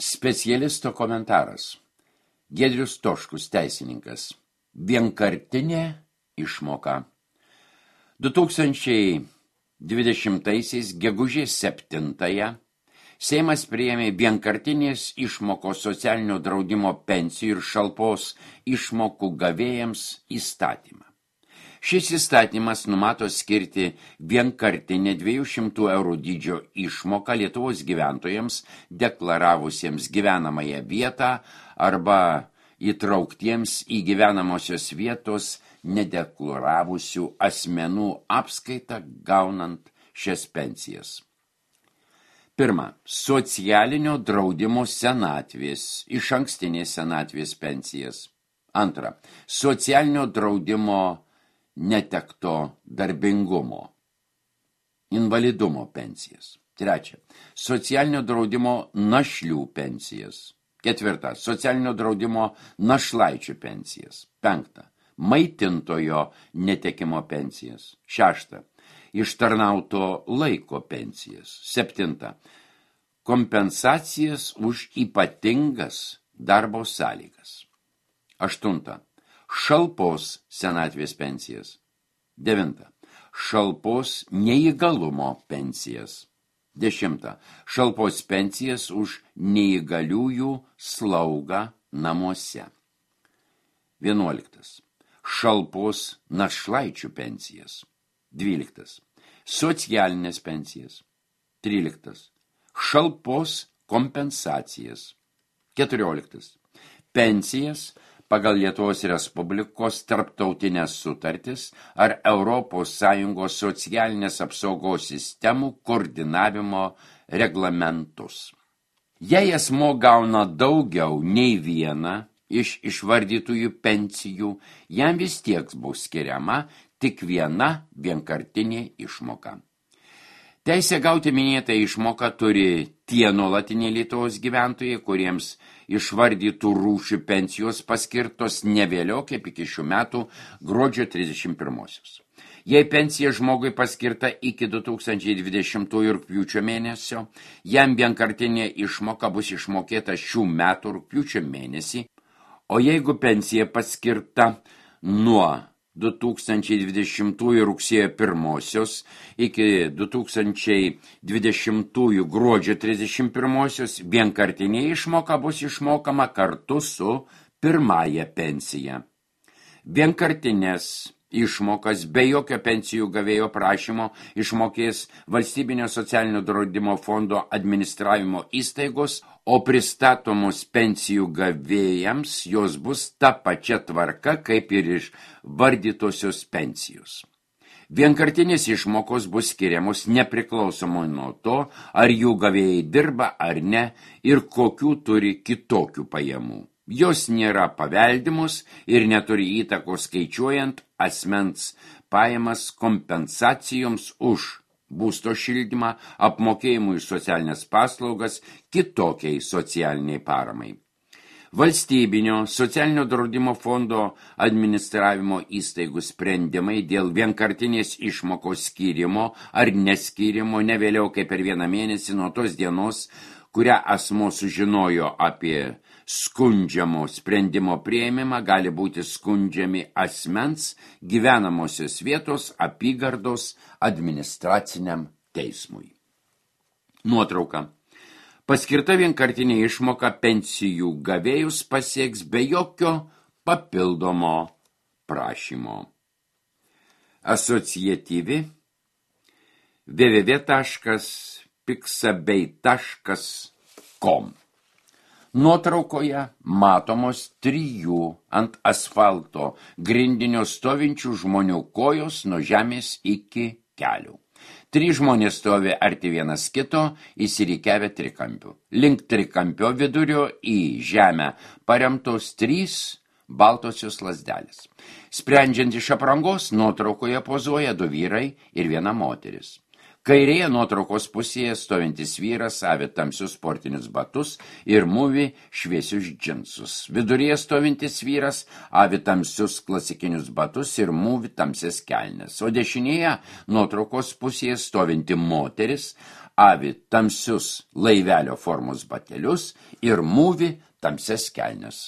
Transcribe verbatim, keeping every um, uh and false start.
Specialisto komentaras. Giedrius Toškus, teisininkas. Vienkartinė išmoka. du tūkstančiai dvidešimtaisiais gegužės septintąją Seimas priėmė vienkartinės išmokos socialinio draudimo pensijų ir šalpos išmokų gavėjams įstatymą. Šis įstatymas numato skirti vienkartinę dviejų šimtų eurų dydžio išmoką Lietuvos gyventojams deklaravusiems gyvenamąją vietą arba įtrauktiems į gyvenamosios vietos nedeklaravusių asmenų apskaitą gaunant šias pensijas. Pirma, socialinio draudimo senatvės, išankstinės senatvės pensijas. Antra, socialinio draudimo netekto darbingumo, invalidumo pensijas. Trečia, socialinio draudimo našlių pensijas. Ketvirta, socialinio draudimo našlaičių pensijas. Penkta, maitintojo netekimo pensijas. Šešta, ištarnauto laiko pensijas. Septinta, kompensacijas už ypatingas darbo sąlygas. Aštunta, šalpos senatvės pensijas. Devinta, šalpos neįgalumo pensijas. Dešimta, šalpos pensijas už neįgaliųjų slaugą namuose. Vienuoliktas, šalpos našlaičių pensijas. Dvyliktas, socialinės pensijas. Tryliktas, šalpos kompensacijas. Keturioliktas, pensijas pagal Lietuvos Respublikos tarptautinės sutartis ar Europos Sąjungos socialinės apsaugos sistemų koordinavimo reglamentus. Jei asmuo gauna daugiau nei vieną iš išvardytųjų pensijų, jam vis tiek bus skiriama tik viena vienkartinė išmoka. Teisę gauti minėtą išmoką turi tie nuolatiniai Lietuvos gyventojai, kuriems išvardytų rūšių pensijos paskirtos ne vėliau kaip iki šių metų gruodžio trisdešimt pirmosios. Jei pensija žmogui paskirta iki du tūkstančiai dvidešimtųjų rugpjūčio mėnesio, jam vienkartinė išmoka bus išmokėta šių metų rugpjūčio mėnesį, o jeigu pensija paskirta nuo du tūkstančiai dvidešimtųjų rugsėjo pirmosios iki du tūkstančiai dvidešimtųjų gruodžio trisdešimt pirmosios, vienkartinė išmoka bus išmokama kartu su pirmąja pensija. Vienkartinės išmokas be jokio pensijų gavėjo prašymo išmokės Valstybinio socialinio draudimo fondo administravimo įstaigos, o pristatomus pensijų gavėjams jos bus ta pačia tvarka kaip ir išvardytosios pensijos. Vienkartinės išmokos bus skiriamos nepriklausomai nuo to, ar jų gavėjai dirba ar ne ir kokių turi kitokių pajamų. Jos nėra paveldimos ir neturi įtakos skaičiuojant asmens pajamas kompensacijoms už būsto šildymą, apmokėjimų iš socialinės paslaugas, kitokiai socialiniai paramai. Valstybinio socialinio draudimo fondo administravimo įstaigų sprendimai dėl vienkartinės išmokos skyrimo ar neskyrimo ne vėliau kaip per vieną mėnesį nuo tos dienos, kurią asmuo sužinojo apie skundžiamo sprendimo priėmimą, gali būti skundžiami asmens gyvenamosios vietos apygardos administraciniam teismui. Nuotrauka. Paskirta vienkartinė išmoka pensijų gavėjus pasieks be jokio papildomo prašymo. Asociatyvi w w w taškas pixabay taškas com. Nuotraukoje matomos trijų ant asfalto grindinio stovinčių žmonių kojos nuo žemės iki kelių. Trys žmonės stovi arti vienas kito, įsirikiavę trikampiu. Link trikampio vidurio į žemę paremtos trys baltosios lazdelės. Sprendžiant iš aprangos, nuotraukoje pozuoja du vyrai ir viena moteris. Kairėje nuotraukos pusėje stovintis vyras avi tamsius sportinius batus ir mūvi šviesius džinsus. Viduryje stovintis vyras avi tamsius klasikinius batus ir mūvi tamsias kelnes. O dešinėje nuotraukos pusėje stovinti moteris avi tamsius laivelio formos batelius ir mūvi tamsias kelnes.